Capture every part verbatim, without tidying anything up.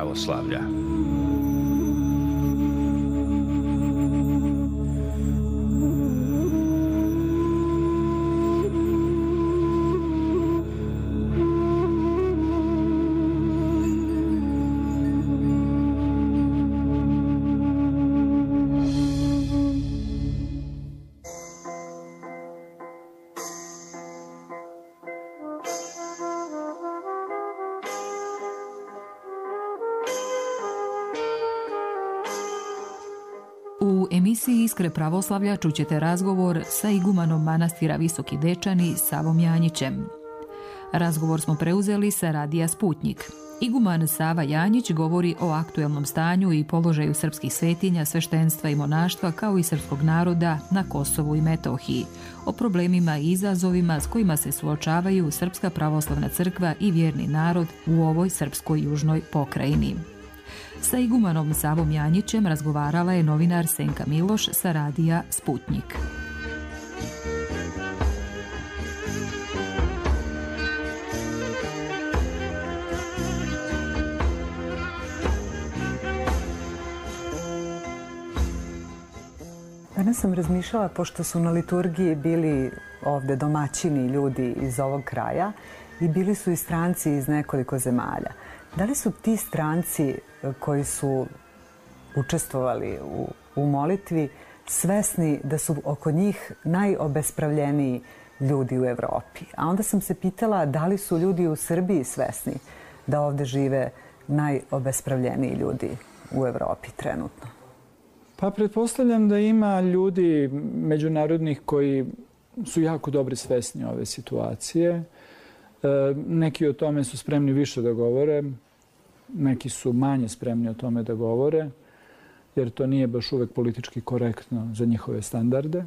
pravoslavlja. U emisiji Iskre pravoslavlja čućete razgovor sa igumanom manastira Visoki Dečani Savom Janjićem. Razgovor smo preuzeli sa radija Sputnjik. Iguman Sava Janjić govori o aktuelnom stanju i položaju srpskih svetinja, sveštenstva i monaštva kao i srpskog naroda na Kosovu i Metohiji, o problemima i izazovima s kojima se suočavaju Srpska pravoslavna crkva i vjerni narod u ovoj srpskoj južnoj pokrajini. Sa igumanom Savom Janjićem razgovarala je novinar Senka Miloš sa radija Sputnjik. Danas sam razmišljala, pošto su na liturgiji bili ovde domaćini ljudi iz ovog kraja i bili su i stranci iz nekoliko zemalja. Da li su ti stranci koji su učestvovali u, u molitvi svesni da su oko njih najobespravljeniji ljudi u Evropi? A onda sam se pitala da li su ljudi u Srbiji svesni da ovde žive najobespravljeniji ljudi u Evropi trenutno? Pa pretpostavljam da ima ljudi međunarodnih koji su jako dobro svesni ove situacije. E, neki o tome su spremni više da govore, neki su manje spremni o tome da govore, jer to nije baš uvek politički korektno za njihove standarde.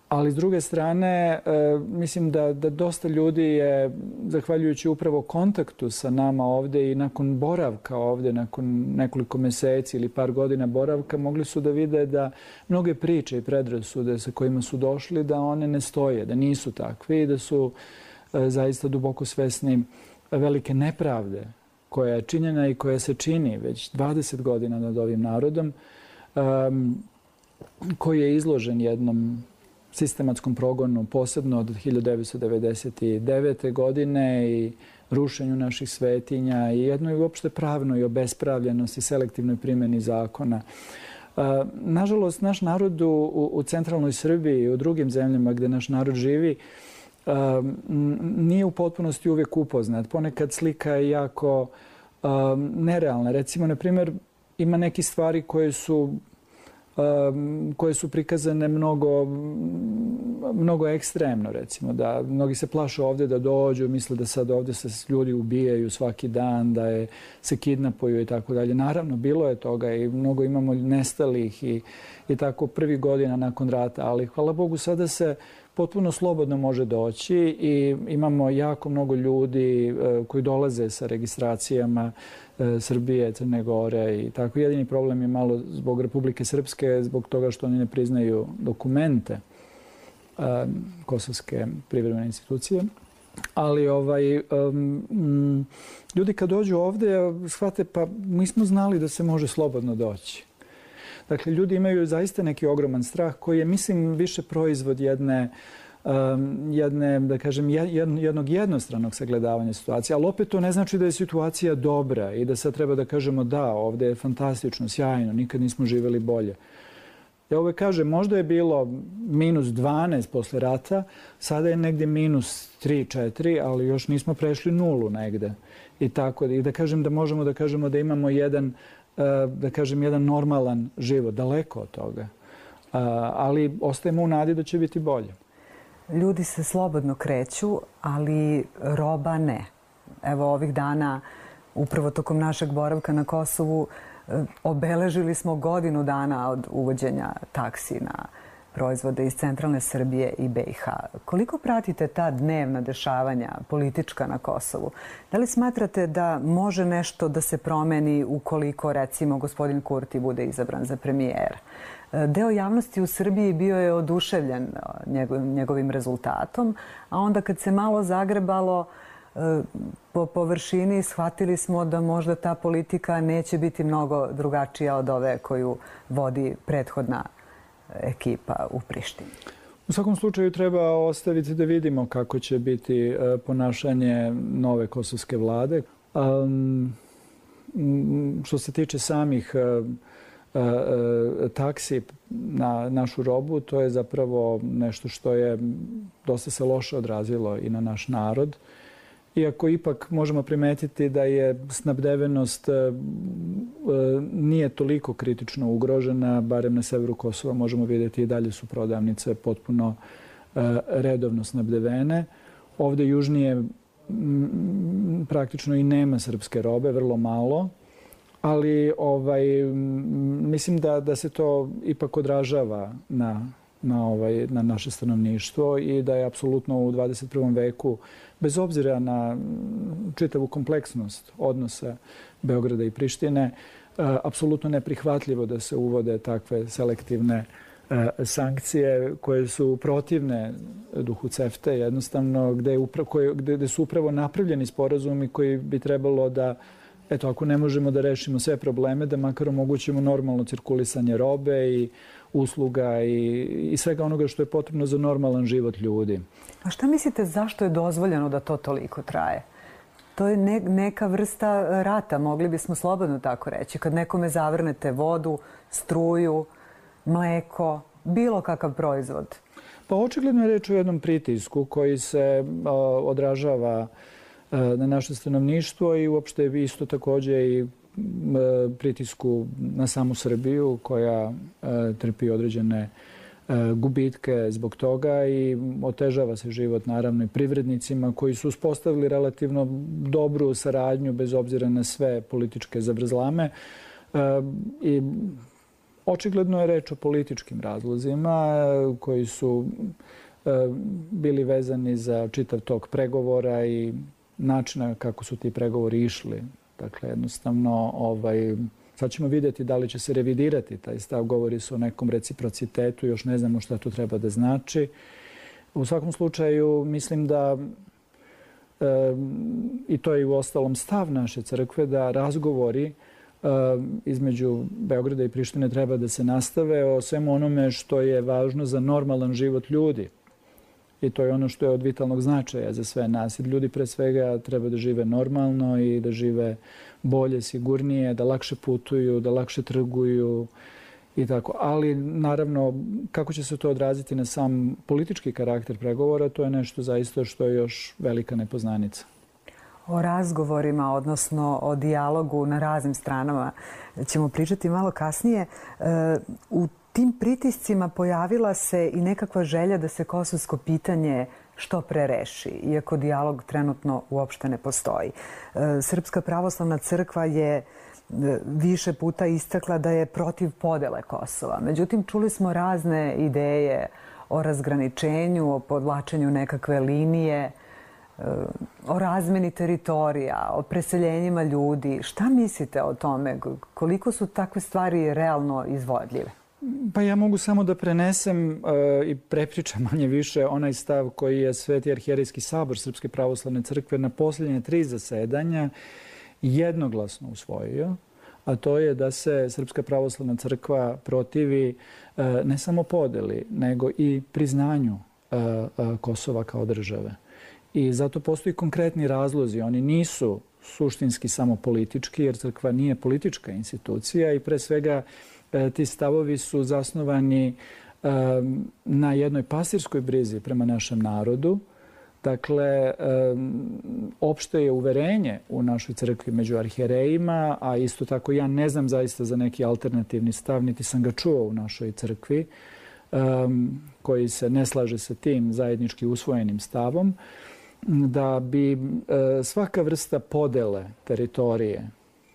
Ali s druge strane, e, mislim da, da dosta ljudi je, zahvaljujući upravo kontaktu sa nama ovde i nakon boravka ovde, nakon nekoliko meseci ili par godina boravka, mogli su da vide da mnoge priče i predrasude sa kojima su došli, da one ne stoje, da nisu takve i da su e, zaista duboko svesni velike nepravde koja je činjena i koja se čini već dvadeset godina nad ovim narodom, um, koji je izložen jednom sistematskom progonu, posebno od hiljadu devetsto devedeset devete. godine i rušenju naših svetinja i jednoj uopšte pravnoj obespravljenosti, selektivnoj primjeni zakona. Uh, nažalost, naš narod u, u centralnoj Srbiji i u drugim zemljama gde naš narod živi Um, nije u potpunosti uvijek upoznat. Ponekad slika je jako um, nerealna. Recimo, na primjer, ima neke stvari koje su, um, koje su prikazane mnogo, mnogo ekstremno, recimo. Da mnogi se plaše ovdje da dođu, misle da sad ovdje se ljudi ubijaju svaki dan, da je, se kidnapuju i tako dalje. Naravno, bilo je toga i mnogo imamo nestalih i, i tako prvih godina nakon rata, ali hvala Bogu sada se potpuno slobodno može doći i imamo jako mnogo ljudi e, koji dolaze sa registracijama e, Srbije, Crne Gore i tako. Jedini problem je malo zbog Republike Srpske, zbog toga što oni ne priznaju dokumente e, Kosovske privremene institucije. Ali ovaj, um, ljudi kad dođu ovde shvate pa mi smo znali da se može slobodno doći. Dakle, ljudi imaju zaista neki ogroman strah koji je, mislim, više proizvod jedne, um, jedne da kažem, jednog jednostranog sagledavanja situacije. Ali opet to ne znači da je situacija dobra i da sad treba da kažemo da, ovdje je fantastično, sjajno, nikad nismo živjeli bolje. Ja uvek kažem, možda je bilo minus dvanaest posle rata, sada je negdje minus tri četiri, ali još nismo prešli nulu negde. I tako, i da kažem da možemo da kažemo da imamo jedan da kažem, jedan normalan život, daleko od toga. Ali ostajemo u nadi da će biti bolje. Ljudi se slobodno kreću, ali roba ne. Evo ovih dana, upravo tokom našeg boravka na Kosovu, obeležili smo godinu dana od uvođenja taksi na proizvode iz centralne Srbije i B i H. Koliko pratite ta dnevna dešavanja politička na Kosovu? Da li smatrate da može nešto da se promeni ukoliko, recimo, gospodin Kurti bude izabran za premijera? Deo javnosti u Srbiji bio je oduševljen njegovim rezultatom, a onda kad se malo zagrebalo, po površini shvatili smo da možda ta politika neće biti mnogo drugačija od ove koju vodi prethodna ekipa u Prištini. U svakom slučaju treba ostaviti da vidimo kako će biti ponašanje nove kosovske vlade. Um, što se tiče samih taksi na našu robu, to je zapravo nešto što je dosta se loše odrazilo i na naš narod. Iako ipak možemo primetiti da je snabdevenost nije toliko kritično ugrožena, barem na severu Kosova možemo vidjeti i dalje su prodavnice potpuno redovno snabdevene. Ovdje južnije praktično i nema srpske robe, vrlo malo. Ali ovaj, mislim da, da se to ipak odražava na, na, ovaj, na naše stanovništvo i da je apsolutno u dvadeset prvom veku, bez obzira na čitavu kompleksnost odnosa Beograda i Prištine, apsolutno neprihvatljivo da se uvode takve selektivne sankcije koje su protivne duhu CEFTA, jednostavno gde, je upra, koje, gde su upravo napravljeni sporazumi koji bi trebalo da, eto, ako ne možemo da rešimo sve probleme, da makar omogućimo normalno cirkulisanje robe i usluga i, i svega onoga što je potrebno za normalan život ljudi. A šta mislite zašto je dozvoljeno da to toliko traje? To je ne, neka vrsta rata, mogli bismo slobodno tako reći. Kad nekome zavrnete vodu, struju, mleko, bilo kakav proizvod. Pa očigledno je reč o jednom pritisku koji se a, odražava a, na naše stanovništvo i uopšte isto također i a, pritisku na samu Srbiju koja a, trpi određene a, gubitke zbog toga i otežava se život naravno i privrednicima koji su uspostavili relativno dobru saradnju bez obzira na sve političke zavrzlame. A, i Očigledno je reč o političkim razlozima koji su bili vezani za čitav tok pregovora i načina kako su ti pregovori išli. Dakle, jednostavno, ovaj, sad ćemo vidjeti da li će se revidirati taj stav. Govori se o nekom reciprocitetu, još ne znamo šta to treba da znači. U svakom slučaju, mislim da, e, i to je u ostalom stav naše crkve, da razgovori između Beograda i Prištine treba da se nastave o svemu onome što je važno za normalan život ljudi. I to je ono što je od vitalnog značaja za sve nas. Ljudi pre svega treba da žive normalno i da žive bolje, sigurnije, da lakše putuju, da lakše trguju i tako. Ali naravno, kako će se to odraziti na sam politički karakter pregovora, to je nešto zaista što je još velika nepoznanica. O razgovorima, odnosno o dijalogu na raznim stranama ćemo pričati malo kasnije. U tim pritiscima pojavila se i nekakva želja da se kosovsko pitanje što pre reši, iako dijalog trenutno uopšte ne postoji. Srpska pravoslavna crkva je više puta istakla da je protiv podele Kosova. Međutim, čuli smo razne ideje o razgraničenju, o podvlačenju nekakve linije, o razmeni teritorija, o preseljenjima ljudi. Šta mislite o tome? Koliko su takve stvari realno izvodljive? Pa ja mogu samo da prenesem uh, i prepričam manje više onaj stav koji je Sveti arhijerejski sabor Srpske pravoslavne crkve na posljednje tri zasedanja jednoglasno usvojio, a to je da se Srpska pravoslavna crkva protivi uh, ne samo podeli, nego i priznanju uh, uh, Kosova kao države. I zato postoji konkretni razlozi. Oni nisu suštinski samo politički, jer crkva nije politička institucija i pre svega ti stavovi su zasnovani na jednoj pastirskoj brizi prema našem narodu. Dakle, opšte je uverenje u našoj crkvi među arhijerejima, a isto tako ja ne znam zaista za neki alternativni stav, niti sam ga čuo u našoj crkvi, koji se ne slaže sa tim zajednički usvojenim stavom, da bi svaka vrsta podele teritorije,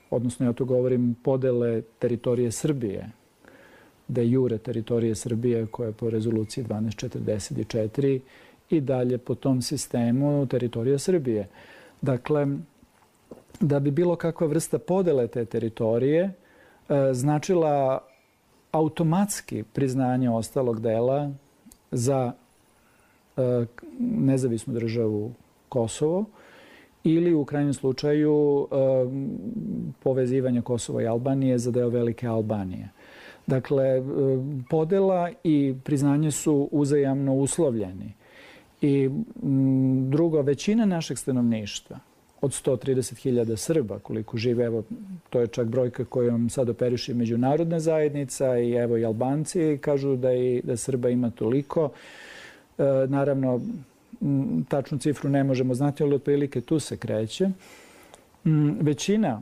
odnosno ja to govorim podele teritorije Srbije, de jure teritorije Srbije koja je po rezoluciji dvanaest četrdeset četiri i dalje po tom sistemu teritorija Srbije. Dakle, da bi bilo kakva vrsta podele te teritorije značila automatski priznanje ostalog dela za nezavisnu državu Kosovo ili u krajnjem slučaju povezivanja Kosova i Albanije za deo Velike Albanije. Dakle, podela i priznanje su uzajamno uslovljeni. I drugo, većina našeg stanovništva, od sto trideset hiljada Srba koliko žive, evo, to je čak brojka kojom sad operiše međunarodna zajednica i evo i Albanci kažu da, i, da Srba ima toliko. E, naravno, tačnu cifru ne možemo znati, ali otprilike tu se kreće. Većina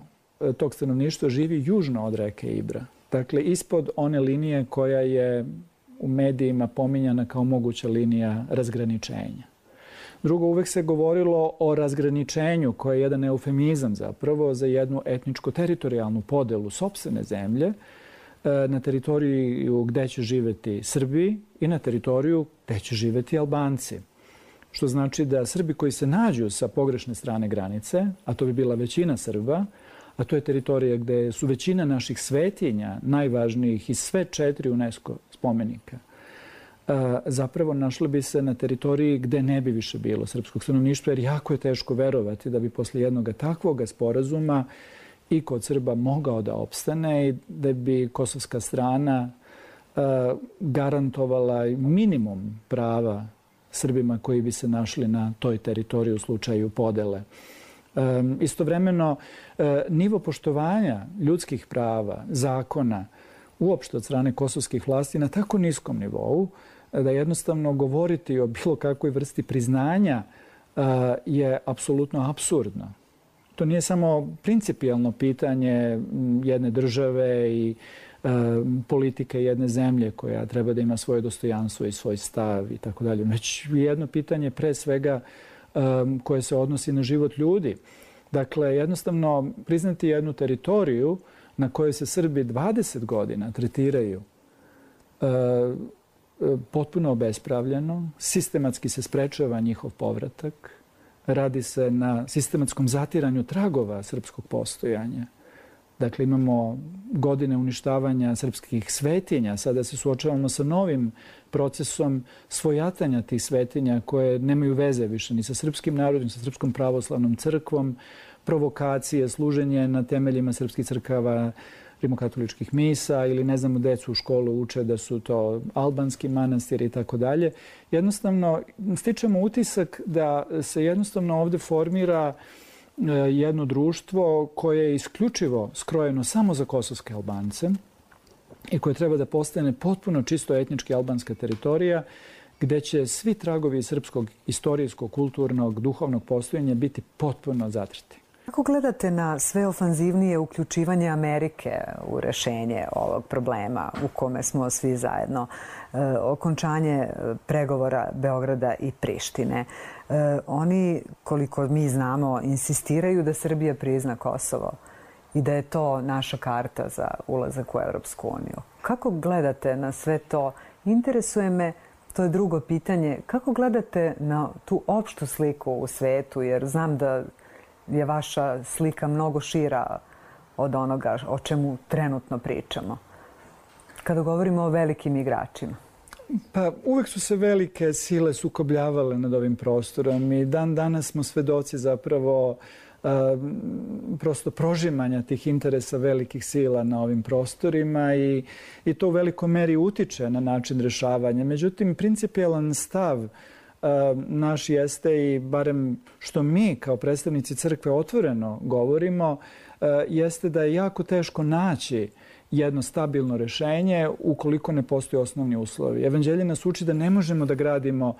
tog stanovništva živi južno od reke Ibra. Dakle, ispod one linije koja je u medijima pominjana kao moguća linija razgraničenja. Drugo, uvek se govorilo o razgraničenju, koje je jedan eufemizam zapravo za jednu etničko-teritorijalnu podelu sopstvene zemlje na teritoriju gde će živeti Srbi i na teritoriju gde će živeti Albanci. Što znači da Srbi koji se nađu sa pogrešne strane granice, a to bi bila većina Srba, a to je teritorija gde su većina naših svetinja, najvažnijih iz sve četiri UNESCO spomenika, zapravo našli bi se na teritoriji gde ne bi više bilo srpskog stanovništva, jer jako je teško verovati da bi posle jednog takvog sporazuma i kod Srba mogao da opstane i da bi kosovska strana garantovala minimum prava Srbima koji bi se našli na toj teritoriji u slučaju podele. Istovremeno, nivo poštovanja ljudskih prava, zakona, uopšte od strane kosovskih vlasti na tako niskom nivou da jednostavno govoriti o bilo kakvoj vrsti priznanja je apsolutno apsurdno. To nije samo principijelno pitanje jedne države i politike jedne zemlje koja treba da ima svoje dostojanstvo i svoj stav i tako dalje. Već jedno pitanje pre svega koje se odnosi na život ljudi. Dakle, jednostavno priznati jednu teritoriju na kojoj se Srbi dvadeset godina tretiraju potpuno obespravljeno, sistematski se sprečava njihov povratak, radi se na sistematskom zatiranju tragova srpskog postojanja. Dakle, imamo godine uništavanja srpskih svetinja. Sada se suočavamo sa novim procesom svojatanja tih svetinja koje nemaju veze više ni sa srpskim narodom, ni sa Srpskom pravoslavnom crkvom, provokacije, služenje na temeljima srpskih crkava, rimokatoličkih misa ili ne znamo, decu u školu uče da su to albanski manastiri i tako dalje. Jednostavno, stičemo utisak da se jednostavno ovde formira jedno društvo koje je isključivo skrojeno samo za kosovske Albance i koje treba da postane potpuno čisto etnički albanska teritorija gde će svi tragovi srpskog istorijskog, kulturnog, duhovnog postojanja biti potpuno zatrti. Kako gledate na sve ofanzivnije uključivanje Amerike u rešenje ovog problema u kome smo svi zajedno? E, okončanje pregovora Beograda i Prištine. E, oni, koliko mi znamo, insistiraju da Srbija prizna Kosovo i da je to naša karta za ulazak u Evropsku uniju. Kako gledate na sve to? Interesuje me, to je drugo pitanje, kako gledate na tu opštu sliku u svetu, jer znam da je vaša slika mnogo šira od onoga o čemu trenutno pričamo, kada govorimo o velikim igračima. Pa uvek su se velike sile sukobljavale nad ovim prostorom i dan danas smo svedoci zapravo uh, prosto prožimanja tih interesa velikih sila na ovim prostorima i, i to u velikoj meri utiče na način rešavanja. Međutim, principijelan stav naš jeste, i barem što mi kao predstavnici crkve otvoreno govorimo, jeste da je jako teško naći jedno stabilno rešenje ukoliko ne postoje osnovni uslovi. Evanđelje nas uči da ne možemo da gradimo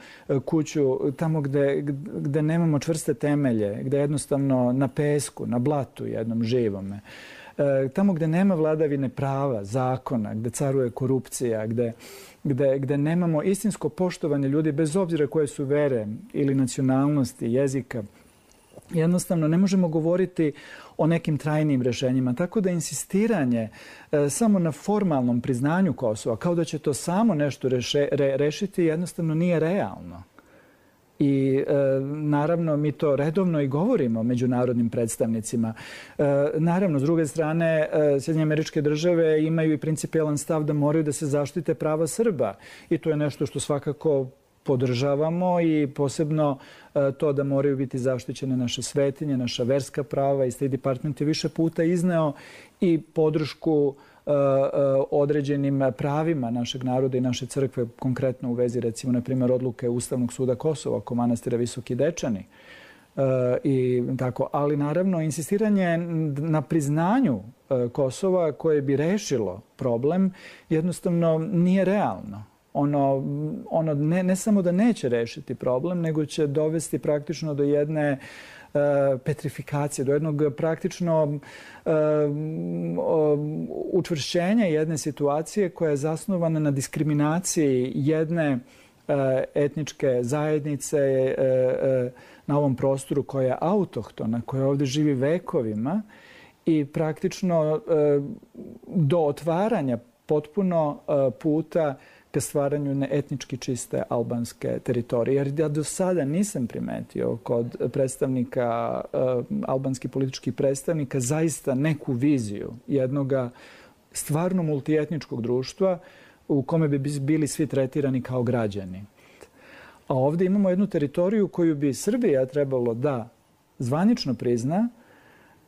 kuću tamo gde, gde nemamo čvrste temelje, gde jednostavno na pesku, na blatu jednom živome. Tamo gde nema vladavine prava, zakona, gde caruje korupcija, gde Gde, gde nemamo istinsko poštovanje ljudi bez obzira koje su vere ili nacionalnosti, jezika. Jednostavno ne možemo govoriti o nekim trajnim rešenjima. Tako da insistiranje e, samo na formalnom priznanju Kosova, kao da će to samo nešto reše, re, rešiti, jednostavno nije realno. I e, naravno mi to redovno i govorimo međunarodnim predstavnicima. E, naravno, s druge strane, e, Sjedinjene Američke Države imaju i principijelan stav da moraju da se zaštite prava Srba. I to je nešto što svakako podržavamo i posebno to da moraju biti zaštićene naše svetinje, naša verska prava i State Department je više puta izneo i podršku određenim pravima našeg naroda i naše crkve, konkretno u vezi recimo na primjer odluke Ustavnog suda Kosova oko manastira Visoki Dečani. I tako, ali naravno insistiranje na priznanju Kosova koje bi rešilo problem jednostavno nije realno. Ono, ono ne, ne samo da neće rešiti problem, nego će dovesti praktično do jedne uh, petrifikacije, do jednog praktično uh, učvršćenja jedne situacije koja je zasnovana na diskriminaciji jedne uh, etničke zajednice uh, uh, na ovom prostoru koja je autohtona, koja ovdje živi vekovima i praktično uh, do otvaranja potpuno uh, puta ka stvaranju etnički čiste albanske teritorije. Jer ja do sada nisam primetio kod predstavnika, uh, albanskih političkih predstavnika, zaista neku viziju jednog stvarno multietničkog društva u kome bi bili svi tretirani kao građani. A ovdje imamo jednu teritoriju koju bi Srbija trebalo da zvanično prizna,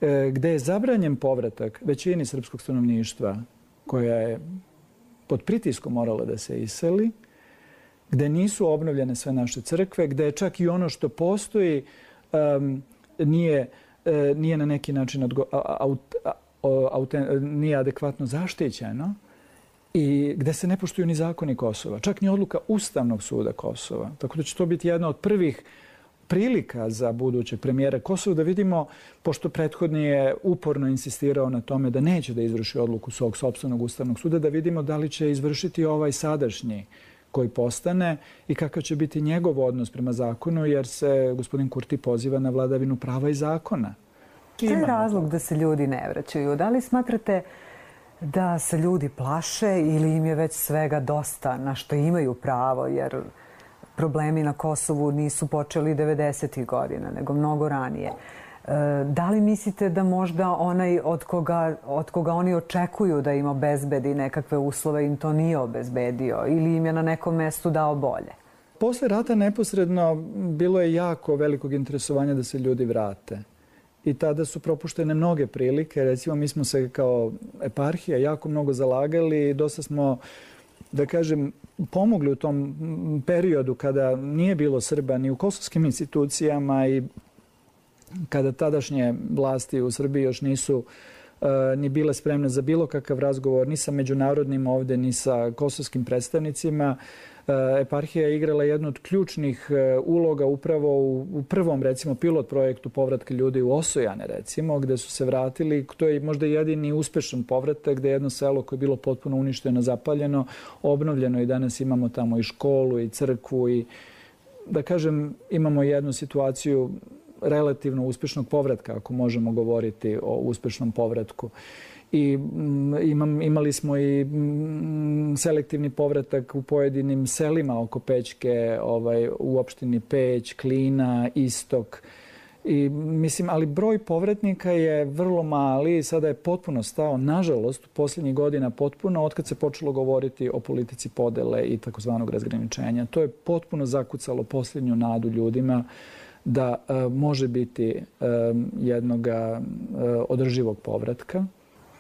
uh, gde je zabranjen povratak većini srpskog stanovništva koja je pod pritiskom morala da se iseli, gde nisu obnovljene sve naše crkve, gde čak i ono što postoji um, nije, uh, nije na neki način odgo, aut, aut, nije adekvatno zaštićeno i gde se ne poštuju ni zakoni Kosova, čak ni odluka Ustavnog suda Kosova. Tako da će to biti jedna od prvih prilika za budućeg premijera Kosova da vidimo, pošto prethodni je uporno insistirao na tome da neće da izvrši odluku svog sopstvenog Ustavnog suda, da vidimo da li će izvršiti ovaj sadašnji koji postane i kakav će biti njegov odnos prema zakonu, jer se gospodin Kurti poziva na vladavinu prava i zakona. Šta je razlog da se ljudi ne vraćaju? Da li smatrate da se ljudi plaše ili im je već svega dosta na što imaju pravo, jer problemi na Kosovu nisu počeli devedesetih godina, nego mnogo ranije. Da li mislite da možda onaj od koga, od koga oni očekuju da im obezbedi nekakve uslove im to nije obezbedio ili im je na nekom mestu dao bolje? Posle rata neposredno bilo je jako velikog interesovanja da se ljudi vrate. I tada su propuštene mnoge prilike. Recimo, mi smo se kao eparhija jako mnogo zalagali i dosta smo, da kažem, pomogli u tom periodu kada nije bilo Srba ni u kosovskim institucijama i kada tadašnje vlasti u Srbiji još nisu uh, ni bile spremne za bilo kakav razgovor ni sa međunarodnim ovdje, ni sa kosovskim predstavnicima. Uh, eparhija je igrala jednu od ključnih uh, uloga upravo u, u prvom, recimo, pilot projektu povratka ljudi u Osojane, recimo, gde su se vratili. To je možda jedini uspešan povratak, gde je jedno selo koje je bilo potpuno uništeno, zapaljeno, obnovljeno i danas imamo tamo i školu i crkvu i, da kažem, imamo jednu situaciju relativno uspešnog povratka, ako možemo govoriti o uspešnom povratku. I imam, imali smo i selektivni povratak u pojedinim selima oko Pećke, ovaj, u opštini Peć, Klina, Istok. I, mislim, ali broj povratnika je vrlo mali i sada je potpuno stao, nažalost, u posljednjih godina potpuno, otkad se počelo govoriti o politici podele i takozvanog razgraničenja. To je potpuno zakucalo posljednju nadu ljudima da uh, može biti uh, jednog uh, održivog povratka.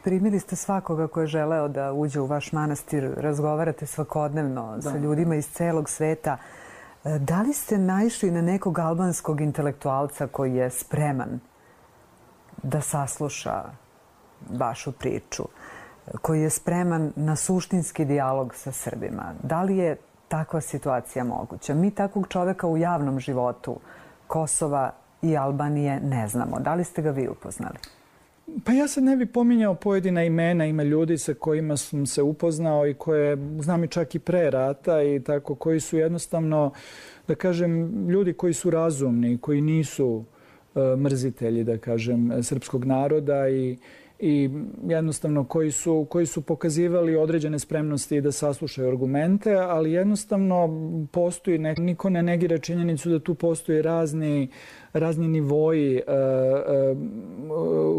Primili ste svakoga ko je želeo da uđe u vaš manastir, razgovarate svakodnevno da. sa ljudima iz celog sveta. Da li ste naišli na nekog albanskog intelektualca koji je spreman da sasluša vašu priču, koji je spreman na suštinski dijalog sa Srbima? Da li je takva situacija moguća? Mi takvog čoveka u javnom životu Kosova i Albanije ne znamo. Da li ste ga vi upoznali? Pa ja sad ne bih pominjao pojedina imena, ima ljudi sa kojima sam se upoznao i koje znam i čak i pre rata i tako, koji su jednostavno, da kažem, ljudi koji su razumni, koji nisu uh, mrzitelji, da kažem, srpskog naroda i i jednostavno koji su, koji su pokazivali određene spremnosti da saslušaju argumente, ali jednostavno postoji, ne, niko ne negira činjenicu da tu postoji razni, razni nivoji e, e,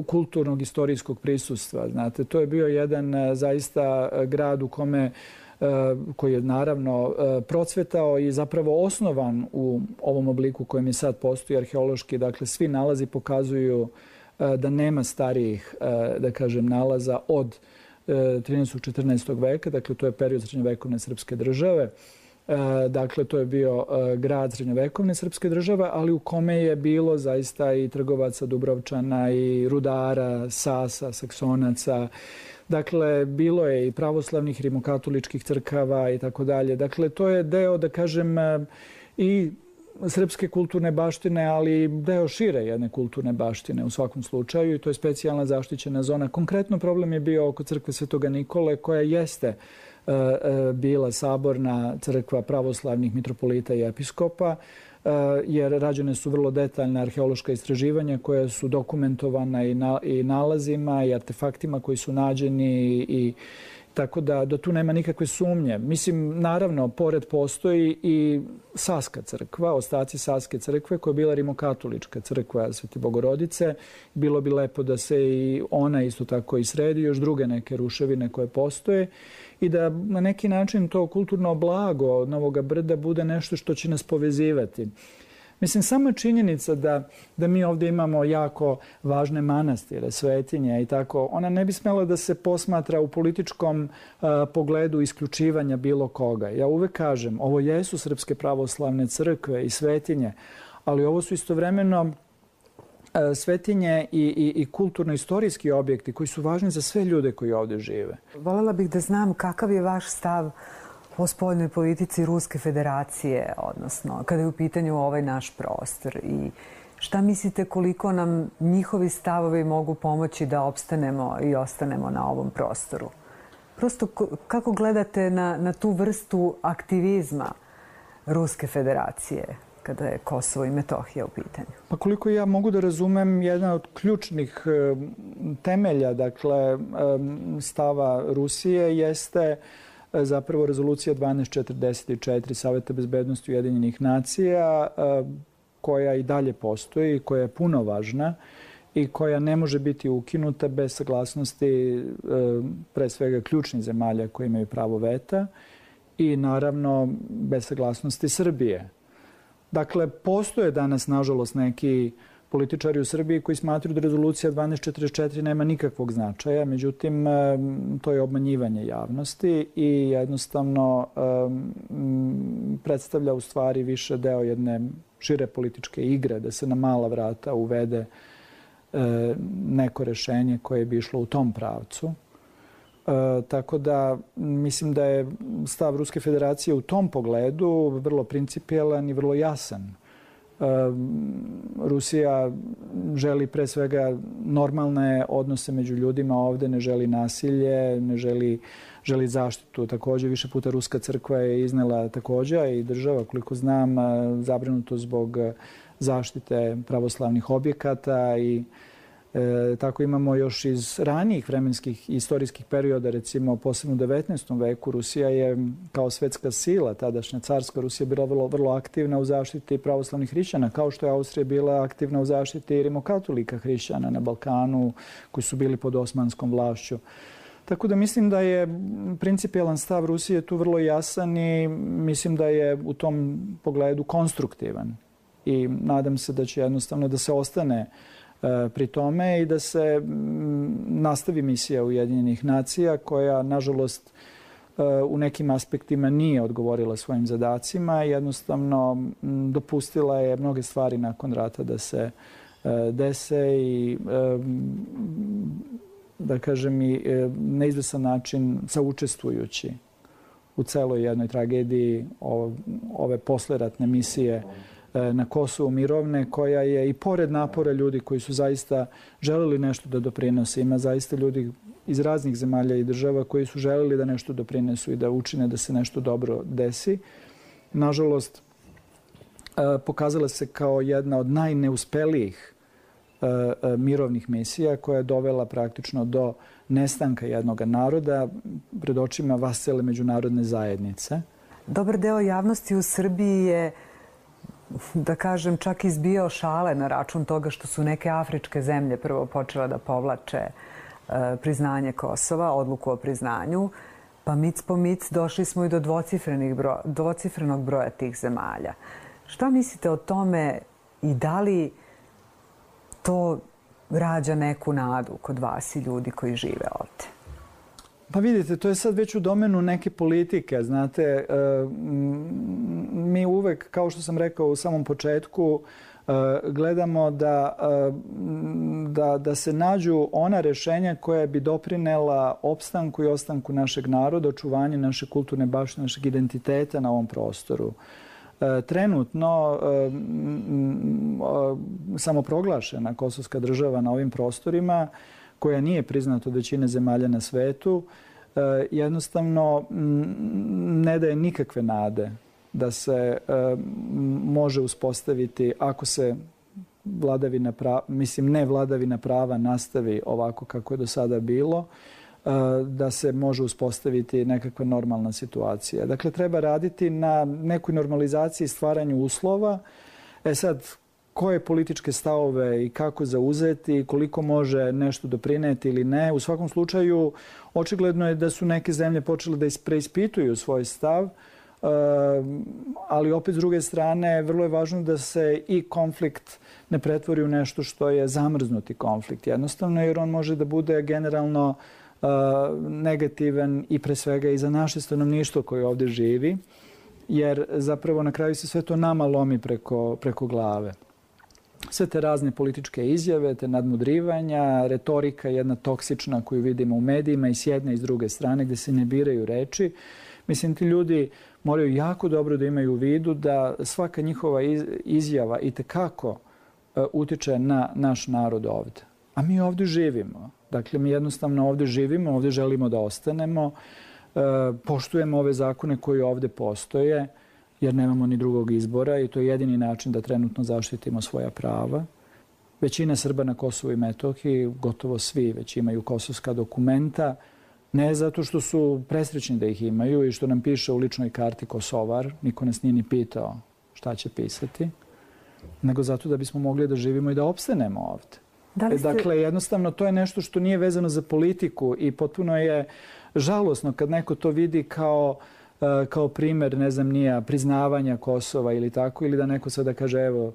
kulturnog, istorijskog prisustva. Znate, to je bio jedan zaista grad u kome koji je naravno procvetao i zapravo osnovan u ovom obliku kojem je sad postoji arheološki. Dakle, svi nalazi pokazuju da nema starijih, da kažem, nalaza od trinaestog i četrnaestog veka. Dakle, to je period srednjovekovne srpske države. Dakle, to je bio grad srednjovekovne srpske države, ali u kome je bilo zaista i trgovaca, Dubrovčana, i rudara, Sasa, Saksonaca. Dakle, bilo je i pravoslavnih rimokatoličkih crkava i tako dalje. Dakle, to je deo, da kažem, i srpske kulturne baštine, ali deo šire jedne kulturne baštine u svakom slučaju, i to je specijalna zaštićena zona. Konkretno problem je bio oko crkve Svetoga Nikole, koja jeste bila saborna crkva pravoslavnih mitropolita i episkopa, jer rađene su vrlo detaljna arheološka istraživanja koja su dokumentovana i nalazima i artefaktima koji su nađeni, i tako da do tu nema nikakve sumnje. Mislim, naravno, pored postoji i Saska crkva, ostaci Saske crkve, koja je bila rimokatolička crkva Svete Bogorodice. Bilo bi lepo da se i ona isto tako i sredi, još druge neke ruševine koje postoje, i da na neki način to kulturno blago Novog Brda bude nešto što će nas povezivati. Mislim, sama činjenica da, da mi ovdje imamo jako važne manastire, svetinje i tako, ona ne bi smjela da se posmatra u političkom uh, pogledu isključivanja bilo koga. Ja uvek kažem, ovo jesu srpske pravoslavne crkve i svetinje, ali ovo su istovremeno uh, svetinje i, i, i kulturno-istorijski objekti koji su važni za sve ljude koji ovdje žive. Voljela bih da znam kakav je vaš stav o spoljnoj politici Ruske federacije, odnosno kada je u pitanju ovaj naš prostor, i šta mislite koliko nam njihovi stavovi mogu pomoći da opstanemo i ostanemo na ovom prostoru? Prosto kako gledate na, na tu vrstu aktivizma Ruske federacije kada je Kosovo i Metohija u pitanju? Pa koliko ja mogu da razumem, jedna od ključnih temelja, dakle, stava Rusije jeste zapravo rezolucija dvanaest četrdeset četiri Saveta bezbednosti Ujedinjenih nacija, koja i dalje postoji, koja je puno važna i koja ne može biti ukinuta bez saglasnosti pre svega ključnih zemalja koji imaju pravo veta i naravno bez saglasnosti Srbije. Dakle, postoje danas, nažalost, neki političari u Srbiji koji smatruju da rezolucija dvanaest četrdeset četiri nema nikakvog značaja. Međutim, to je obmanjivanje javnosti i jednostavno predstavlja u stvari više deo jedne šire političke igre, da se na mala vrata uvede neko rešenje koje bi išlo u tom pravcu. Tako da mislim da je stav Ruske federacije u tom pogledu vrlo principijelan i vrlo jasan. Rusija želi pre svega normalne odnose među ljudima ovdje, ne želi nasilje, ne želi, želi zaštitu. Također, više puta Ruska crkva je iznela također i država, koliko znam, zabrinuto zbog zaštite pravoslavnih objekata i E, tako imamo još iz ranijih vremenskih i istorijskih perioda, recimo posebno u devetnaestom veku, Rusija je kao svetska sila, tadašnja carska Rusija, bila vrlo, vrlo aktivna u zaštiti pravoslavnih hrišćana, kao što je Austrija bila aktivna u zaštiti rimokatolika hrišćana na Balkanu, koji su bili pod osmanskom vlašću. Tako da mislim da je principijelan stav Rusije tu vrlo jasan i mislim da je u tom pogledu konstruktivan. I nadam se da će jednostavno da se ostane pri tome i da se nastavi misija Ujedinjenih nacija koja, nažalost, u nekim aspektima nije odgovorila svojim zadacima i jednostavno dopustila je mnoge stvari nakon rata da se dese i, da kažem, i na izvesan način saučestvujući u celoj jednoj tragediji ove posleratne misije na Kosovu mirovne, koja je i pored napora ljudi koji su zaista želeli nešto da doprinose. Ima zaista ljudi iz raznih zemalja i država koji su želeli da nešto doprinesu i da učine da se nešto dobro desi. Nažalost, pokazala se kao jedna od najneuspelijih mirovnih misija koja je dovela praktično do nestanka jednog naroda pred očima vascele međunarodne zajednice. Dobar deo javnosti u Srbiji je, da kažem, čak izbijao šale na račun toga što su neke afričke zemlje prvo počele da povlače priznanje Kosova, odluku o priznanju. Pa mic po mic došli smo i do broja, dvocifrenog broja tih zemalja. Šta mislite o tome i da li to rađa neku nadu kod vas i ljudi koji žive ovde? Pa vidite, to je sad već u domenu neke politike. Znate, mi uvek, kao što sam rekao u samom početku, gledamo da, da, da se nađu ona rešenja koja bi doprinela opstanku i ostanku našeg naroda, očuvanju naše kulturne baštine, našeg identiteta na ovom prostoru. Trenutno samoproglašena kosovska država na ovim prostorima, koja nije priznata od većine zemalja na svetu, jednostavno ne daje nikakve nade da se može uspostaviti, ako se vladavina prava, mislim ne vladavina prava nastavi ovako kako je do sada bilo, da se može uspostaviti nekakva normalna situacija. Dakle, treba raditi na nekoj normalizaciji, stvaranju uslova. E sad, koje političke stavove i kako zauzeti, koliko može nešto doprineti ili ne. U svakom slučaju, očigledno je da su neke zemlje počele da preispituju svoj stav, ali opet s druge strane vrlo je važno da se i konflikt ne pretvori u nešto što je zamrznuti konflikt. Jednostavno, jer on može da bude generalno negativan i pre svega i za naše stanovništvo koje ovdje živi, jer zapravo na kraju se sve to nama lomi preko, preko glave. Sve te razne političke izjave, te nadmudrivanja, retorika jedna toksična koju vidimo u medijima i s jedne i s druge strane gdje se ne biraju reči. Mislim, ti ljudi moraju jako dobro da imaju u vidu da svaka njihova izjava itekako utiče na naš narod ovdje. A mi ovdje živimo. Dakle, mi jednostavno ovdje živimo, ovdje želimo da ostanemo, poštujemo ove zakone koji ovdje postoje, jer nemamo ni drugog izbora i to je jedini način da trenutno zaštitimo svoja prava. Većina Srba na Kosovu i Metohiji, gotovo svi već imaju kosovska dokumenta, ne zato što su presrećni da ih imaju i što nam piše u ličnoj karti Kosovar, niko nas nije ni pitao šta će pisati, nego zato da bismo mogli da živimo i da opstanemo ovdje. Da li ste... Dakle, jednostavno to je nešto što nije vezano za politiku i potpuno je žalosno kad neko to vidi kao kao primjer, ne znam, nija priznavanja Kosova ili tako, ili da neko sada kaže, evo,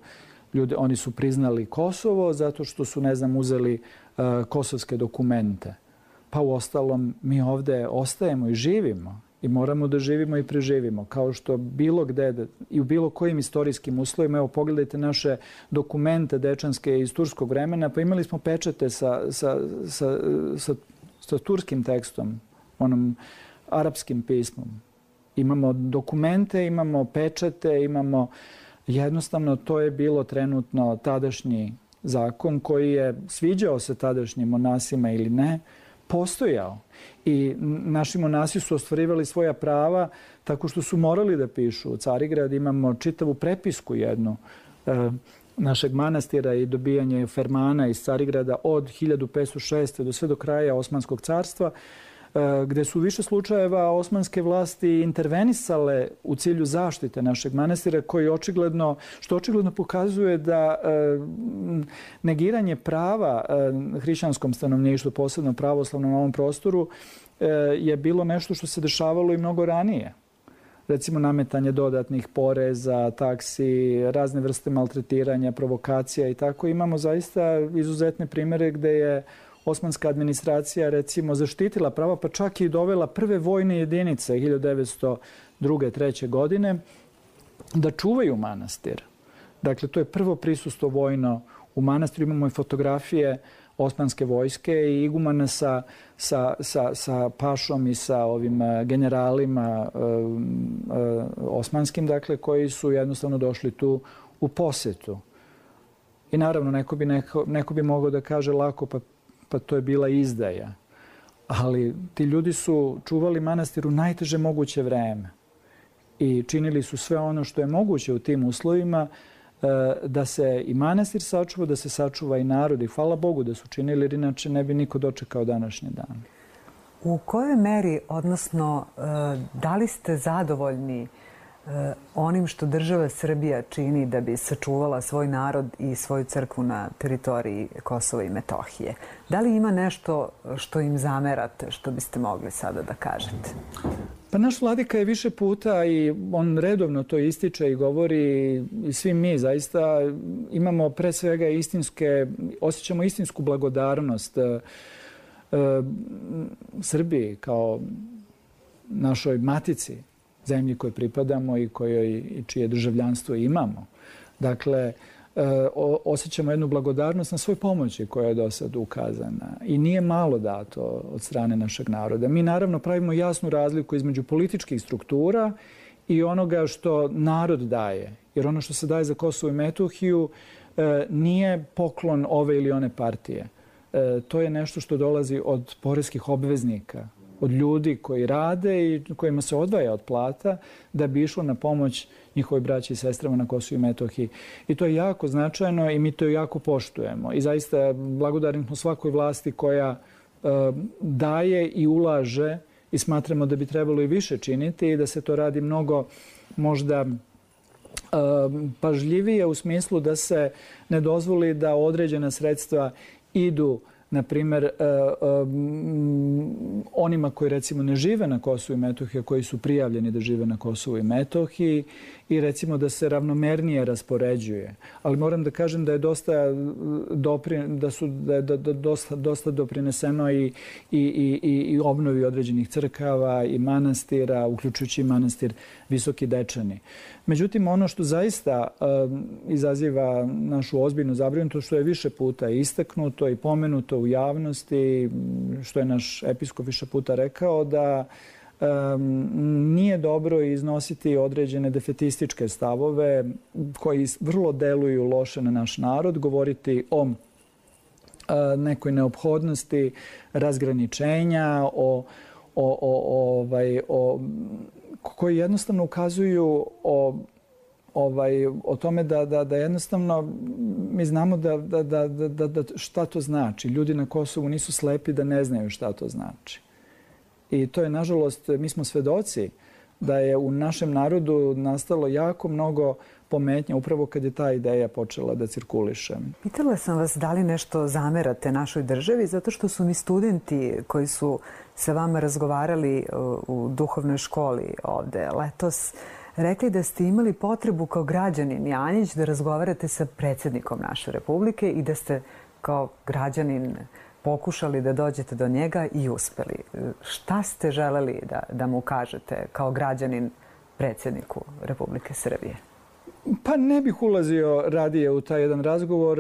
ljudi, oni su priznali Kosovo zato što su, ne znam, uzeli uh, kosovske dokumente. Pa u ostalom, mi ovdje ostajemo i živimo i moramo da živimo i preživimo. Kao što bilo gde i u bilo kojim istorijskim uslovima, evo, pogledajte naše dokumente dečanske iz turskog vremena, pa imali smo pečate sa, sa, sa, sa, sa turskim tekstom, onom arapskim pismom. Imamo dokumente, imamo pečate, imamo... Jednostavno, to je bilo trenutno tadašnji zakon koji je sviđao se tadašnjim monasima ili ne, postojao. I naši monasi su ostvarivali svoja prava tako što su morali da pišu. U Carigrad imamo čitavu prepisku jednu e, našeg manastira i dobijanje fermana iz Carigrada od hiljadu petsto šeste. do sve do kraja Osmanskog carstva, gde su više slučajeva osmanske vlasti intervenisale u cilju zaštite našeg manastira, koji očigledno, što očigledno pokazuje da e, negiranje prava e, hrišćanskom stanovništvu, posebno pravoslavnom na ovom prostoru, e, je bilo nešto što se dešavalo i mnogo ranije. Recimo nametanje dodatnih poreza, taksi, razne vrste maltretiranja, provokacija i tako. Imamo zaista izuzetne primjere gde je osmanska administracija, recimo, zaštitila prava, pa čak i dovela prve vojne jedinice hiljadu devetsto druge. treće. godine da čuvaju manastir. Dakle, to je prvo prisustvo vojno u manastiru. Imamo i fotografije osmanske vojske i igumana sa, sa, sa, sa pašom i sa ovim generalima uh, uh, osmanskim, dakle, koji su jednostavno došli tu u posetu. I naravno, neko bi, neko, neko bi mogao da kaže lako, pa pa to je bila izdaja. Ali ti ljudi su čuvali manastir u najteže moguće vreme i činili su sve ono što je moguće u tim uslovima da se i manastir sačuva, da se sačuva i narod. I hvala Bogu da su činili, jer inače ne bi niko dočekao današnji dan. U kojoj meri, odnosno, da li ste zadovoljni onim što država Srbija čini da bi sačuvala svoj narod i svoju crkvu na teritoriji Kosova i Metohije. Da li ima nešto što im zamerate, što biste mogli sada da kažete? Pa naš vladika je više puta i on redovno to ističe i govori i svi mi zaista imamo pre svega istinske, osjećamo istinsku blagodarnost e, Srbiji kao našoj matici, zemlji kojoj pripadamo i kojoj i čije državljanstvo imamo. Dakle, osjećamo jednu blagodarnost na svoj pomoći koja je do sad ukazana. I nije malo dato od strane našeg naroda. Mi naravno pravimo jasnu razliku između političkih struktura i onoga što narod daje. Jer ono što se daje za Kosovo i Metohiju nije poklon ove ili one partije. To je nešto što dolazi od poreskih obveznika, od ljudi koji rade i kojima se odvaja od plata da bi išlo na pomoć njihovoj braći i sestrama na Kosovu i Metohiji. I to je jako značajno i mi to jako poštujemo. I zaista blagodarni smo svakoj vlasti koja uh, daje i ulaže i smatramo da bi trebalo i više činiti i da se to radi mnogo možda uh, pažljivije u smislu da se ne dozvoli da određena sredstva idu na primjer, onima koji recimo ne žive na Kosovu i Metohiji, koji su prijavljeni da žive na Kosovu i Metohiji i recimo da se ravnomernije raspoređuje. Ali moram da kažem da je dosta, doprin, da su, da je dosta, dosta doprineseno i, i, i, i obnovi određenih crkava i manastira, uključujući i manastir Visoki Dečani. Međutim, ono što zaista um, izaziva našu ozbiljnu zabrinutost, što je više puta istaknuto i pomenuto u javnosti, što je naš episkop više puta rekao, da um, nije dobro iznositi određene defetističke stavove koji vrlo deluju loše na naš narod, govoriti o uh, nekoj neophodnosti razgraničenja, o, o, o, ovaj, o koji jednostavno ukazuju o, ovaj, o tome da, da, da jednostavno mi znamo da, da, da, da, da šta to znači. Ljudi na Kosovu nisu slepi da ne znaju šta to znači. I to je, nažalost, mi smo svedoci da je u našem narodu nastalo jako mnogo pometnja upravo kad je ta ideja počela da cirkuliše. Pitala sam vas da li nešto zamerate našoj državi, zato što su mi studenti koji su sa vama razgovarali u duhovnoj školi ovde letos rekli da ste imali potrebu kao građanin Janjić da razgovarate sa predsjednikom naše Republike i da ste kao građanin pokušali da dođete do njega i uspeli. Šta ste želeli da, da mu kažete kao građanin predsjedniku Republike Srbije? Pa ne bih ulazio radije u taj jedan razgovor.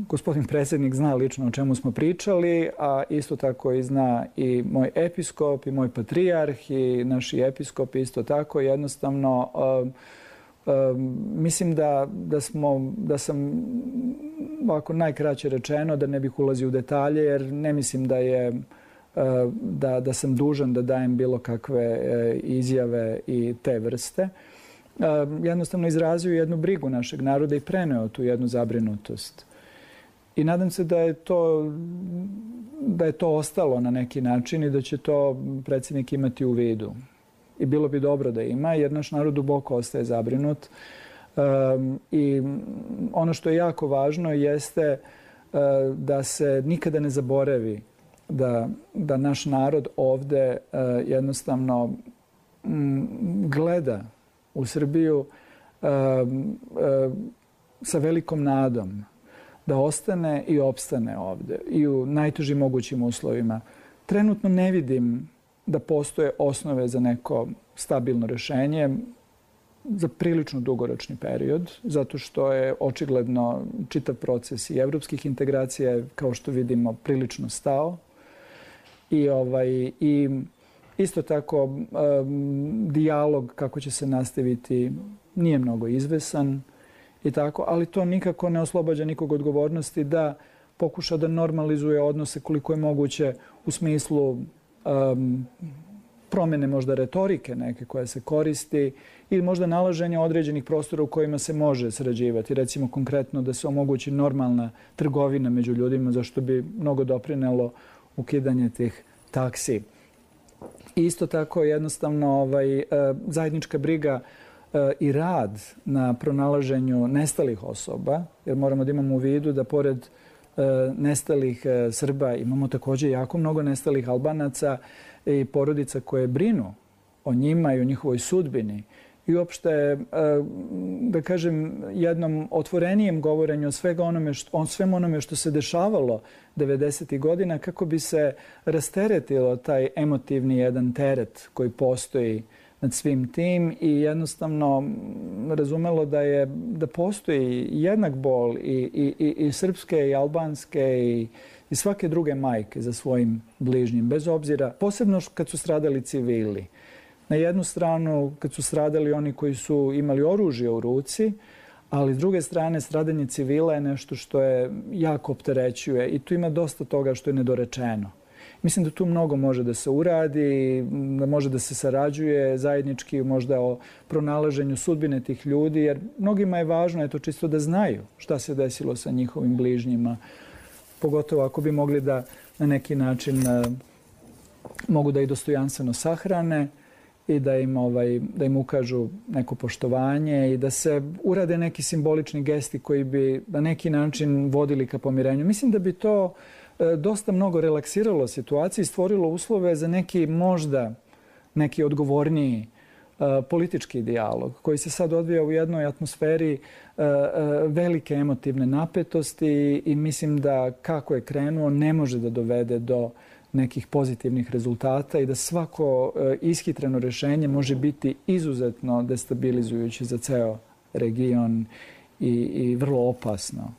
Gospodin predsjednik zna lično o čemu smo pričali, a isto tako i zna i moj episkop i moj patrijarh i naši episkop isto tako. Jednostavno, mislim da, da, smo, da sam ovako najkraće rečeno da ne bih ulazio u detalje jer ne mislim da je Da, da sam dužan da dajem bilo kakve izjave i te vrste. Jednostavno izrazio jednu brigu našeg naroda i preneo tu jednu zabrinutost. I nadam se da je to, da je to ostalo na neki način i da će to predsjednik imati u vidu. I bilo bi dobro da ima jer naš narod duboko ostaje zabrinut. I ono što je jako važno jeste da se nikada ne zaboravi Da, da naš narod ovde uh, jednostavno m, gleda u Srbiju uh, uh, sa velikom nadom da ostane i opstane ovde i u najtežim mogućim uslovima. Trenutno ne vidim da postoje osnove za neko stabilno rešenje za prilično dugoročni period, zato što je očigledno čitav proces i evropskih integracija, kao što vidimo, prilično stao. I, ovaj, i isto tako um, dijalog kako će se nastaviti nije mnogo izvesan i tako, ali to nikako ne oslobađa nikog odgovornosti da pokuša da normalizuje odnose koliko je moguće u smislu um, promjene možda retorike neke koja se koristi ili možda nalaženja određenih prostora u kojima se može sarađivati. Recimo konkretno da se omogući normalna trgovina među ljudima, zašto bi mnogo doprinelo ukidanje tih taksi Isto tako jednostavno ovaj, zajednička briga i rad na pronalaženju nestalih osoba, jer moramo da imamo u vidu da pored nestalih Srba imamo također jako mnogo nestalih Albanaca i porodica koje brinu o njima i o njihovoj sudbini. I uopšte, da kažem, jednom otvorenijem govorenju o svega onome što, o svemu onome što se dešavalo devedesetih godina kako bi se rasteretilo taj emotivni jedan teret koji postoji nad svim tim i jednostavno razumelo da je da postoji jednak bol i, i, i, i srpske i albanske i, i svake druge majke za svojim bližnjim, bez obzira, posebno kad su stradali civili. Na jednu stranu kad su stradali oni koji su imali oružje u ruci, ali s druge strane stradanje civila je nešto što je jako opterećuje i tu ima dosta toga što je nedorečeno. Mislim da tu mnogo može da se uradi, da može da se sarađuje zajednički možda o pronalaženju sudbine tih ljudi, jer mnogima je važno eto, čisto da znaju šta se desilo sa njihovim bližnjima. Pogotovo ako bi mogli da na neki način uh, mogu da i dostojanstveno sahrane i da im, ovaj, da im ukažu neko poštovanje i da se urade neki simbolični gesti koji bi na neki način vodili ka pomirenju. Mislim da bi to dosta mnogo relaksiralo situaciju i stvorilo uslove za neki možda neki odgovorniji uh, politički dijalog koji se sad odvija u jednoj atmosferi uh, uh, velike emotivne napetosti i mislim da kako je krenuo ne može da dovede do nekih pozitivnih rezultata i da svako uh, ishitreno rješenje može biti izuzetno destabilizujuće za ceo region i, i vrlo opasno.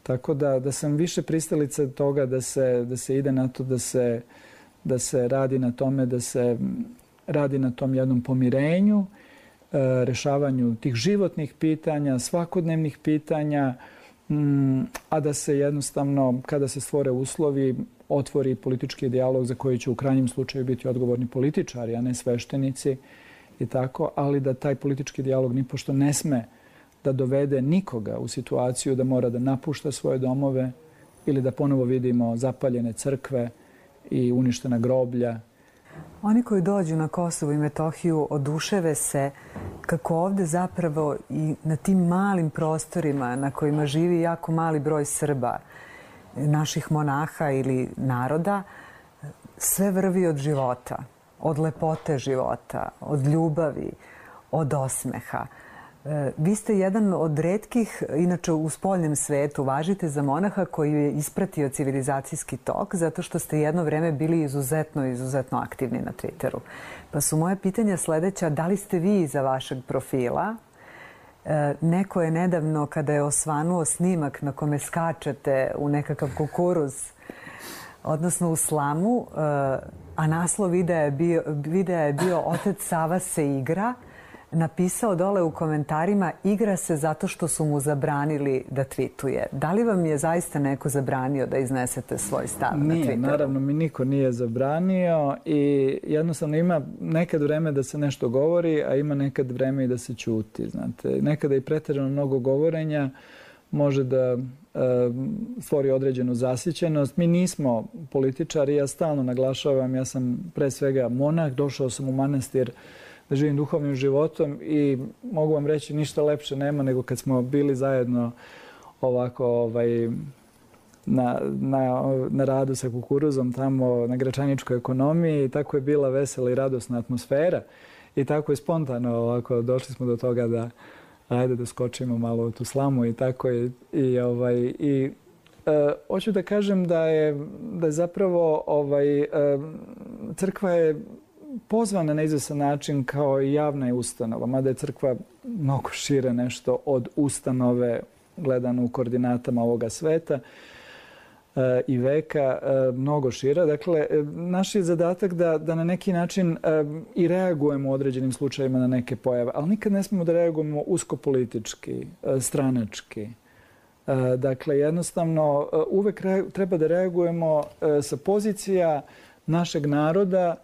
Tako da, da sam više pristalica toga da se, da se ide na to, da se, da se radi na tome, da se radi na tom jednom pomirenju, e, rešavanju tih životnih pitanja, svakodnevnih pitanja, m, a da se jednostavno, kada se stvore uslovi, otvori politički dijalog za koji će u krajnjem slučaju biti odgovorni političari, a ne sveštenici i tako, ali da taj politički dijalog nipošto ne sme da dovede nikoga u situaciju da mora da napušta svoje domove ili da ponovo vidimo zapaljene crkve i uništena groblja. Oni koji dođu na Kosovo i Metohiju oduševe se kako ovde zapravo i na tim malim prostorima na kojima živi jako mali broj Srba, naših monaha ili naroda, sve vrvi od života, od lepote života, od ljubavi, od osmeha. Vi ste jedan od retkih, inače u spoljnem svetu, važite za monaha koji je ispratio civilizacijski tok zato što ste jedno vreme bili izuzetno, izuzetno aktivni na Twitteru. Pa su moje pitanja sledeća, da li ste vi iza vašeg profila? Neko je nedavno, kada je osvanuo snimak na kome skačete u nekakav kukuruz, odnosno u slamu, a naslov videa je bio, videa je bio Otec Sava se igra, napisao dole u komentarima igra se zato što su mu zabranili da tweetuje. Da li vam je zaista neko zabranio da iznesete svoj stav na Twitteru? Nije, naravno mi niko nije zabranio i jednostavno ima nekad vreme da se nešto govori, a ima nekad vreme i da se ćuti. Znate, nekada i pretjerano mnogo govorenja može da e, stvori određenu zasićenost. Mi nismo političari, ja stalno naglašavam, ja sam pre svega monah, došao sam u manastir da živim duhovnim životom i mogu vam reći ništa lepše nema nego kad smo bili zajedno ovako ovaj, na, na, na radu sa kukuruzom tamo na Gračaničkoj ekonomiji i tako je bila vesela i radosna atmosfera i tako je spontano ovako došli smo do toga da ajde da skočimo malo u tu slamu i tako je i ovaj i e, hoću da kažem da je da je zapravo ovaj e, crkva je pozvana na izvestan način kao i javna ustanova, mada je crkva mnogo šire nešto od ustanove gledano u koordinatama ovoga sveta e, i veka, e, mnogo šira. Dakle, e, naš je zadatak da, da na neki način e, i reagujemo u određenim slučajima na neke pojave, ali nikad ne smemo da reagujemo uskopolitički, e, stranački. E, dakle, jednostavno, e, uvek re, treba da reagujemo e, sa pozicija našeg naroda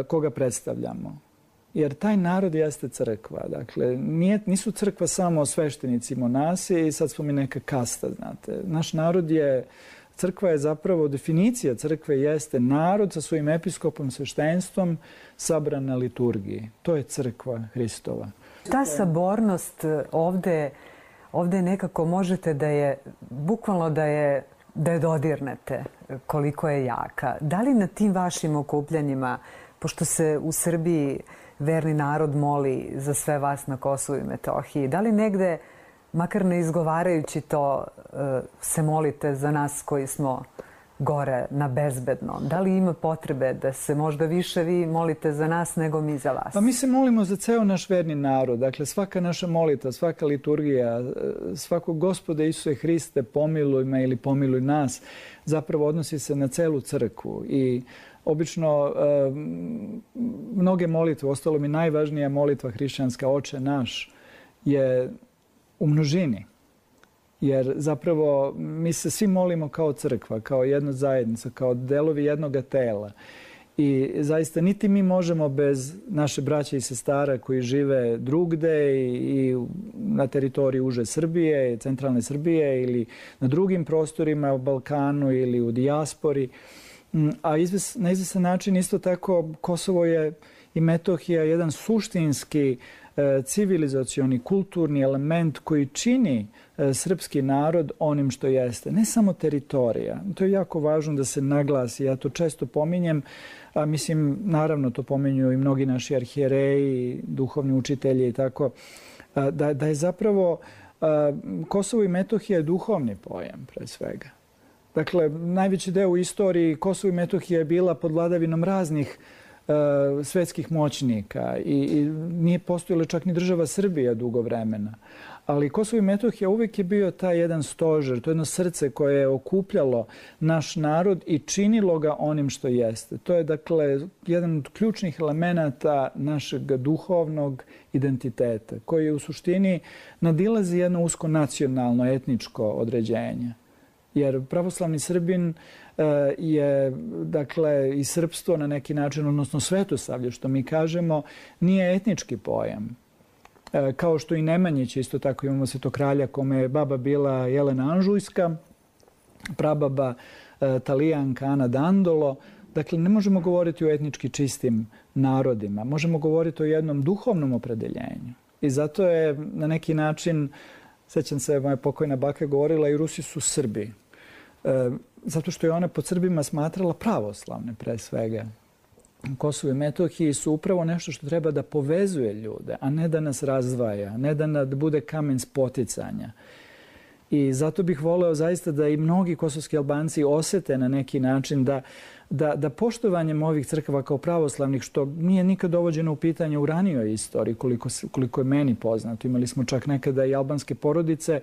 koga predstavljamo. Jer taj narod jeste crkva. Dakle, nije, nisu crkva samo sveštenici, monasi i sad smo mi neka kasta, znate. Naš narod je Crkva je zapravo, definicija crkve jeste narod sa svojim episkopom, sveštenstvom, sabran na liturgiji. To je crkva Hristova. Ta sabornost ovde, ovde nekako možete da je, bukvalno da je, da je dodirnete koliko je jaka. Da li na tim vašim okupljanjima, pošto se u Srbiji verni narod moli za sve vas na Kosovu i Metohiji, da li negde, makar ne izgovarajući to, se molite za nas koji smo gore na bezbednom? Da li ima potrebe da se možda više vi molite za nas nego mi za vas? Pa mi se molimo za ceo naš verni narod. Dakle, svaka naša molita, svaka liturgija, svako Gospode Isuse Hriste, pomiluj me ili pomiluj nas, zapravo odnosi se na celu crkvu. I obično mnoge molitve, ostalo mi najvažnija molitva hrišćanska, Oče naš, je u množini. Jer zapravo mi se svi molimo kao crkva, kao jedna zajednica, kao delovi jednoga tela. I zaista niti mi možemo bez naše braće i sestara koji žive drugde i, i na teritoriji uže Srbije, centralne Srbije ili na drugim prostorima u Balkanu ili u dijaspori. A izves, na izvesan način isto tako Kosovo je i Metohija jedan suštinski civilizacioni, kulturni element koji čini srpski narod onim što jeste. Ne samo teritorija. To je jako važno da se naglasi. Ja to često pominjem, a mislim, naravno to pominju i mnogi naši arhijereji, duhovni učitelji i tako, da, da je zapravo Kosovo i Metohija je duhovni pojam, pre svega. Dakle, najveći deo u istoriji Kosovo i Metohija je bila pod vladavinom raznih svetskih moćnika i, i nije postojala čak ni država Srbija dugo vremena. Ali Kosovo i Metohija uvijek je bio taj jedan stožer, to je jedno srce koje je okupljalo naš narod i činilo ga onim što jeste. To je dakle jedan od ključnih elemenata našeg duhovnog identiteta koji u suštini nadilazi jedno usko nacionalno, etničko određenje. Jer pravoslavni Srbin je, dakle, i srpstvo na neki način, odnosno svetosavlje, što mi kažemo, nije etnički pojam. Kao što i Nemanjić, isto tako imamo svetokralja kome je baba bila Jelena Anžujska, prababa Talijanka Ana Dandolo. Dakle, ne možemo govoriti o etnički čistim narodima. Možemo govoriti o jednom duhovnom opredeljenju. I zato je na neki način, sećam se, moja pokojna baka govorila, i Rusi su Srbi. Zato što je ona pod Srbima smatrala pravoslavne, pre svega. Kosovo i Metohiji su upravo nešto što treba da povezuje ljude, a ne da nas razdvaja, ne da bude kamen spoticanja. I zato bih voleo zaista da i mnogi kosovski Albanci osete na neki način da, da, da poštovanjem ovih crkava kao pravoslavnih, što nije nikad dovođeno u pitanje u ranijoj istoriji, koliko, koliko je meni poznato. Imali smo čak nekada i albanske porodice,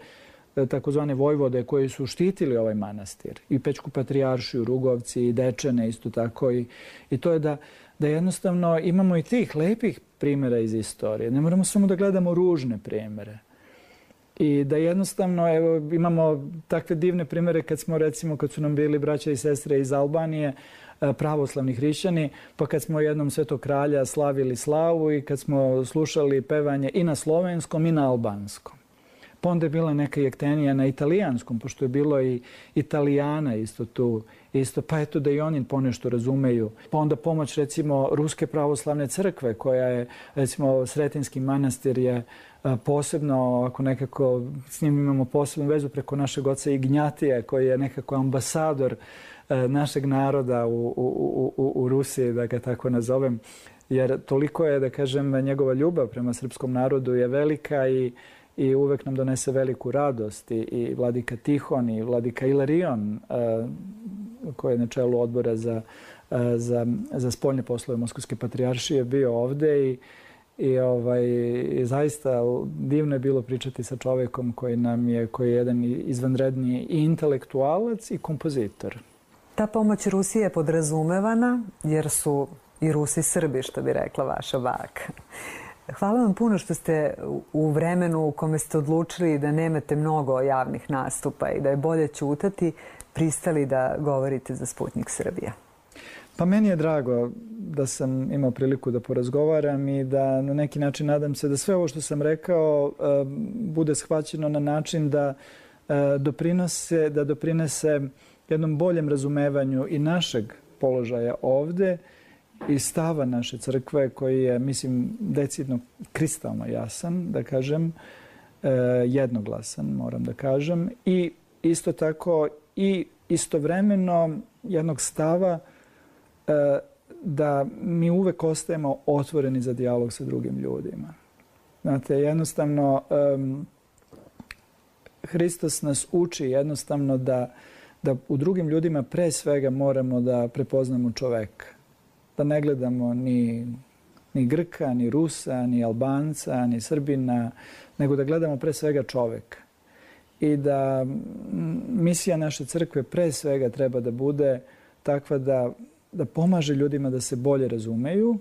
takozvane vojvode koji su štitili ovaj manastir. I Pećku patrijaršiju, Rugovci, i Dečane isto tako. I, i to je da, da jednostavno imamo i tih lepih primjera iz istorije. Ne moramo samo da gledamo ružne primjere. I da jednostavno evo, imamo takve divne primjere kad smo, recimo, kad su nam bili braća i sestre iz Albanije, pravoslavni hrišćani, pa kad smo jednom Svetog kralja slavili slavu i kad smo slušali pevanje i na slovenskom i na albanskom. Pa onda je bila neka jektenija na italijanskom, pošto je bilo i Italijana isto tu. Isto, pa eto da i oni ponešto razumeju. Pa onda pomoć, recimo, Ruske pravoslavne crkve, koja je, recimo, Sretenski manastir je posebno, ako nekako s njim imamo posebnu vezu preko našeg oca Ignjatija, koji je nekako ambasador našeg naroda u, u, u, u Rusiji, da ga tako nazovem. Jer toliko je, da kažem, njegova ljubav prema srpskom narodu je velika i i uvek nam donese veliku radost. I, i vladika Tihon i vladika Ilarion, koji je na čelu odbora za, za, za spoljne poslove Moskovske patrijaršije, bio ovde i, i, ovaj, i zaista divno je bilo pričati sa čovekom koji nam je, koji je jedan izvanredni i intelektualac i kompozitor. Ta pomoć Rusije je podrazumevana jer su i Rusi Srbi, što bi rekla vaša baka. Hvala vam puno što ste u vremenu u kome ste odlučili da nemate mnogo javnih nastupa i da je bolje ćutati, pristali da govorite za Sputnjik Srbija. Pa meni je drago da sam imao priliku da porazgovaram i da na neki način nadam se da sve ovo što sam rekao bude shvaćeno na način da doprinose, da doprinese jednom boljem razumevanju i našeg položaja ovde i stava naše crkve koji je, mislim, decidno kristalno jasan, da kažem, jednoglasan, moram da kažem, i isto tako i istovremeno jednog stava da mi uvek ostajemo otvoreni za dijalog sa drugim ljudima. Znate, jednostavno, um, Hristos nas uči jednostavno da, da u drugim ljudima pre svega moramo da prepoznamo čoveka. Da ne gledamo ni, ni Grka, ni Rusa, ni Albanca, ni Srbina, nego da gledamo pre svega čoveka. I da misija naše crkve pre svega treba da bude takva da, da pomaže ljudima da se bolje razumeju,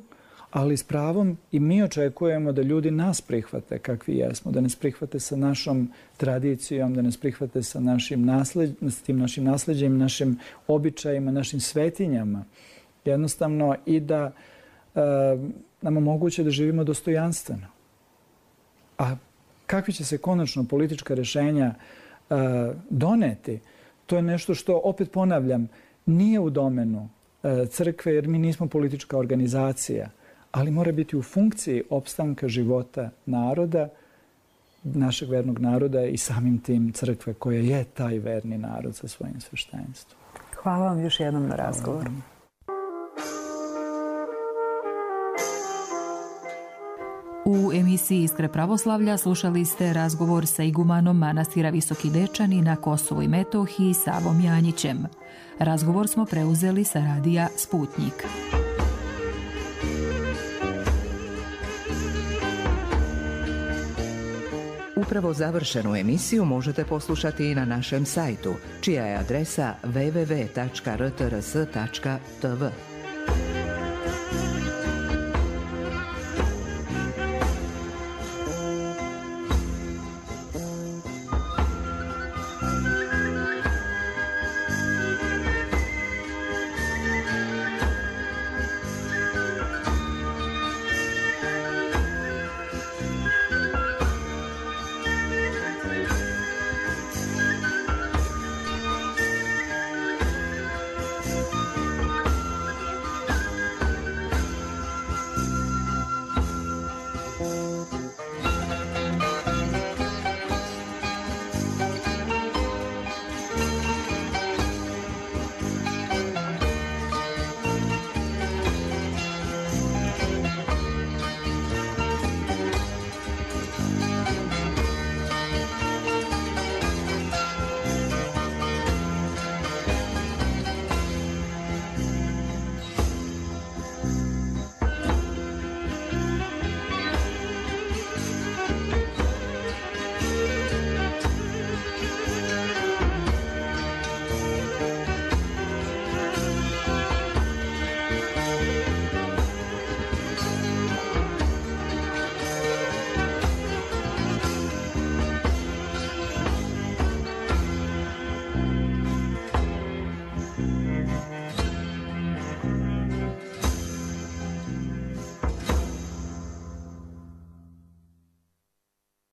ali s pravom i mi očekujemo da ljudi nas prihvate kakvi jesmo, da nas prihvate sa našom tradicijom, da nas prihvate sa našim nasled, s tim našim nasleđem, našim običajima, našim svetinjama. Jednostavno i da e, nam omoguće da živimo dostojanstveno. A kakvi će se konačno politička rješenja e, doneti, to je nešto što, opet ponavljam, nije u domenu e, crkve, jer mi nismo politička organizacija, ali mora biti u funkciji opstanka života naroda, našeg vernog naroda i samim tim crkve koja je taj verni narod sa svojim sveštenstvom. Hvala vam još jednom na razgovoru. U emisiji Iskre pravoslavlja slušali ste razgovor sa igumanom manastira Visoki Dečani na Kosovu i Metohiji Savom Janjićem. Razgovor smo preuzeli sa radija Sputnjik. Upravo završenu emisiju možete poslušati i na našem sajtu, čija je adresa w w w tačka r t r s tačka t v.